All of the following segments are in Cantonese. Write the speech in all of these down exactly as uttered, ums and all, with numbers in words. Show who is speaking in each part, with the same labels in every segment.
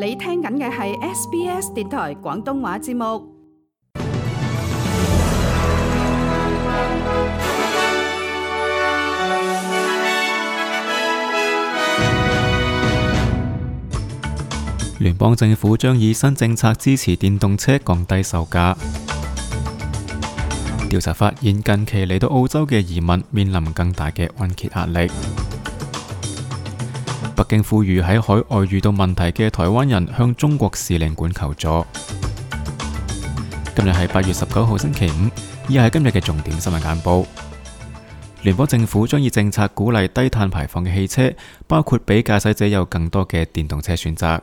Speaker 1: 你聽緊嘅係 S B S 電台廣東話節目。
Speaker 2: 聯邦政府將以新政策支持電動車降低售價。調查發現，近期嚟到澳洲嘅移民面臨更大嘅按揭壓力。北京呼籲喺海外遇到問題嘅台灣人向中國使領館求助。今日係八月十九號星期五，以下係今日嘅重點新聞簡報。聯邦政府將以政策鼓勵低碳排放嘅汽車，包括俾駕駛者有更多嘅電動車選擇。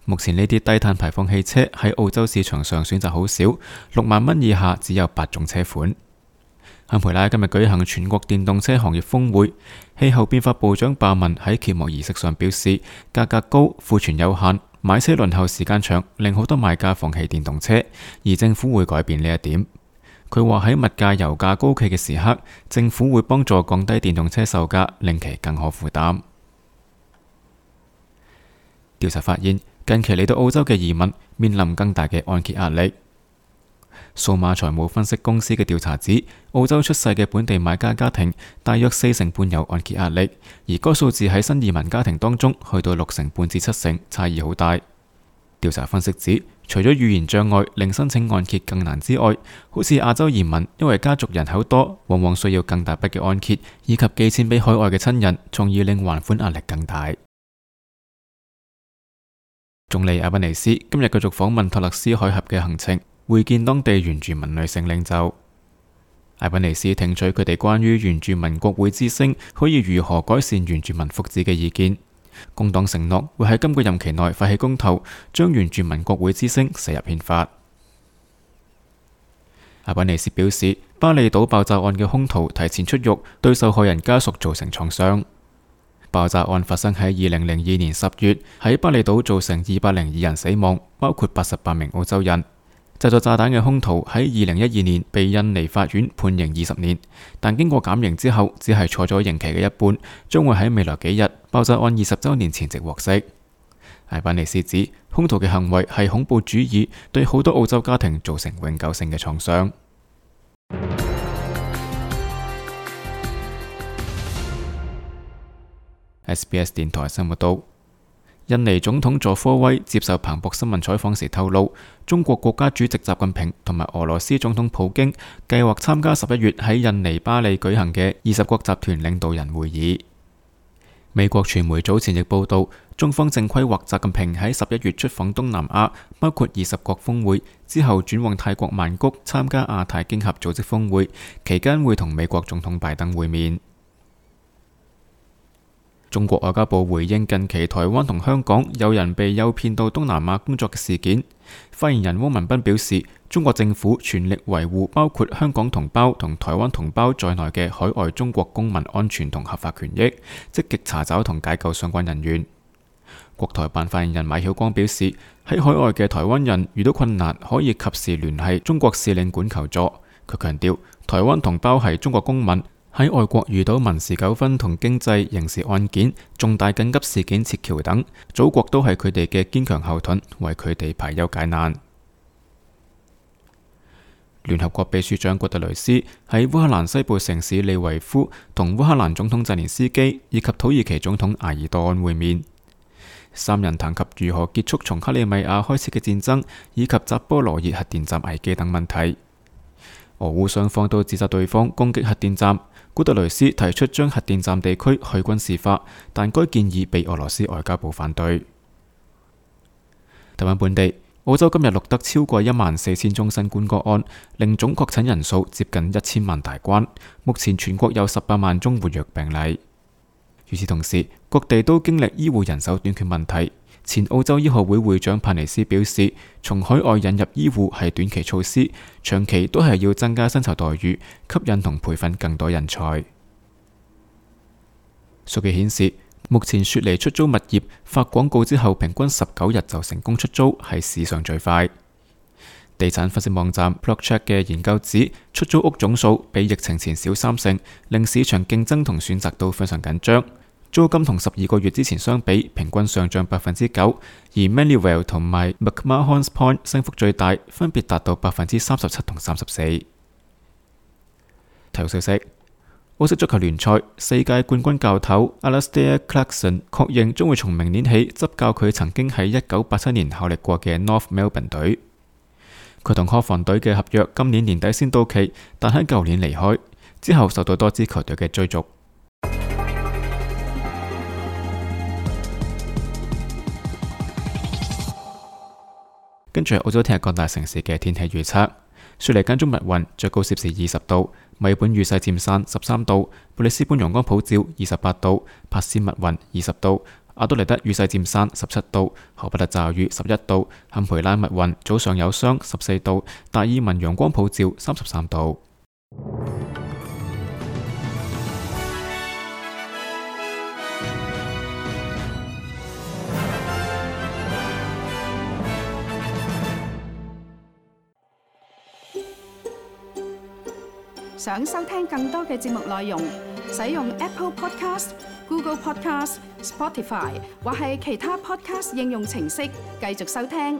Speaker 2: 目前呢啲低碳排放汽車喺澳洲市場上選擇好少，六萬蚊以下只有八種車款。堪培拉今日舉行全國電動車行業峰會，氣候變化部長鮑文喺揭幕儀式上表示，價格高、庫存有限、買車輪候時間長，令好多買家放棄電動車，而政府會改變呢一點。佢話喺物價、油價高企嘅時刻，政府會幫助降低電動車售價，令其更可負擔。調查發現，近期嚟到澳洲嘅移民面臨更大嘅按揭壓力。數碼財務分析公司嘅調查指，澳洲出世嘅本地買家家庭大約四成半有按揭壓力，而該數字喺新移民家庭當中去到六成半至七成，差異好大。調查分析指，除咗語言障礙令申請按揭更難之外，好似亞洲移民因為家族人口多，往往需要更大筆嘅按揭，以及寄錢俾海外嘅親人，從而令還款壓力更大。總理阿賓尼斯今日繼續訪問托勒斯海峽嘅行程，會見當地原住民女性領袖。阿賓尼斯聽取佢哋關於原住民國會之聲可以如何改善原住民福祉嘅意見。工黨承諾會喺今個任期內發起公投，將原住民國會之聲寫入憲法。阿賓尼斯表示，巴厘島爆炸案嘅兇徒提前出獄，對受害人家屬造成創傷。爆炸案發生喺二零零二年十月，喺巴厘島造成二百零二人死亡，包括八十八名澳洲人。製作炸彈嘅兇徒喺二零一二年被印尼法院判刑二十年，但經過減刑之後，只係坐咗刑期嘅一半，將會喺未來幾日爆炸案二十週年前夕獲釋。艾班尼斯指，兇徒嘅行為係恐怖主義，對好多澳洲家庭造成永久性嘅創傷。S B S 電台新聞道，印尼總統佐科威接受彭博新聞採訪時透露，中國國家主席習近平同埋俄羅斯總統普京計劃參加十一月喺印尼巴里舉行嘅二十國集團領導人會議。美國傳媒早前亦報道，中方正規劃習近平喺十一月出訪東南亞，包括二十國峰會，之後轉往泰國曼谷參加亞太經合組織峰會，期間會同美國總統拜登會面。中國外交部回應近期台灣同香港有人被誘騙到東南亞工作嘅事件，發言人汪文斌表示，中國政府全力維護包括香港同胞同台灣同胞在內嘅海外中國公民安全同合法權益，積極查找同解救相關人員。國台辦發言人馬曉光表示，喺海外嘅台灣人遇到困難可以及時聯繫中國使領館求助。佢強調，台灣同胞係中國公民，喺外國遇到民事糾紛同經濟刑事案件、重大緊急事件撤僑等，祖國都係佢哋嘅堅強後盾，為佢哋排憂解難。聯合國秘書長古特雷斯喺烏克蘭西部城市利維夫同烏克蘭總統澤連斯基以及土耳其總統埃爾多安會面，三人談及如何結束從克里米亞開始嘅戰爭，以及扎波羅熱核電站危機等問題。俄烏雙方都指責對方攻擊核電站。古特雷斯提出將核電站地區去軍事化，但該建議被俄羅斯外交部反對。台灣本地，澳洲今日錄得超過一萬四千宗新冠個案，令總確診人數接近一千萬大關。目前全國有十八萬宗活躍病例。與此同時，各地都經歷醫護人手短缺問題。前澳洲醫學會會長帕尼斯表示，從海外引入醫護係短期措施，長期都係要增加薪酬待遇，吸引同培訓更多人才。數據顯示，目前雪梨出租物業發廣告之後，平均十九日就成功出租，係史上最快。地產分析網站 Blockcheck 嘅研究指，出租屋總數比疫情前少三成，令市場競爭同選擇都非常緊張。租金同十二個月之前相比，平均上漲百分之九，而 Manuel 同埋 McMahon's Point 升幅最大，分別達到百分之三十七同三十四。體育消息：澳式足球聯賽世界冠軍教頭 Alastair Clarkson 確認將會從明年起執教佢曾經喺一九八七年效力過嘅 North Melbourne 隊。佢同科房隊嘅合約今年年底先到期，但喺舊年離開之後，受到多支球隊嘅追逐。跟住係澳洲聽日各大城市嘅天氣預測：雪梨間中密雲，最高攝氏二十度；墨爾本雨勢漸散十三度；布里斯本陽光普照二十八度；珀斯密雲二十度；阿德萊德雨勢漸散十七度；荷伯特驟雨十一度；坎培拉密雲早上有霜十四度；達爾文陽光普照三十三度。
Speaker 1: 想收聽更多嘅節目內容，使用 Apple Podcast、Google Podcast、Spotify 或係其他 Podcast 應用程式繼續收聽。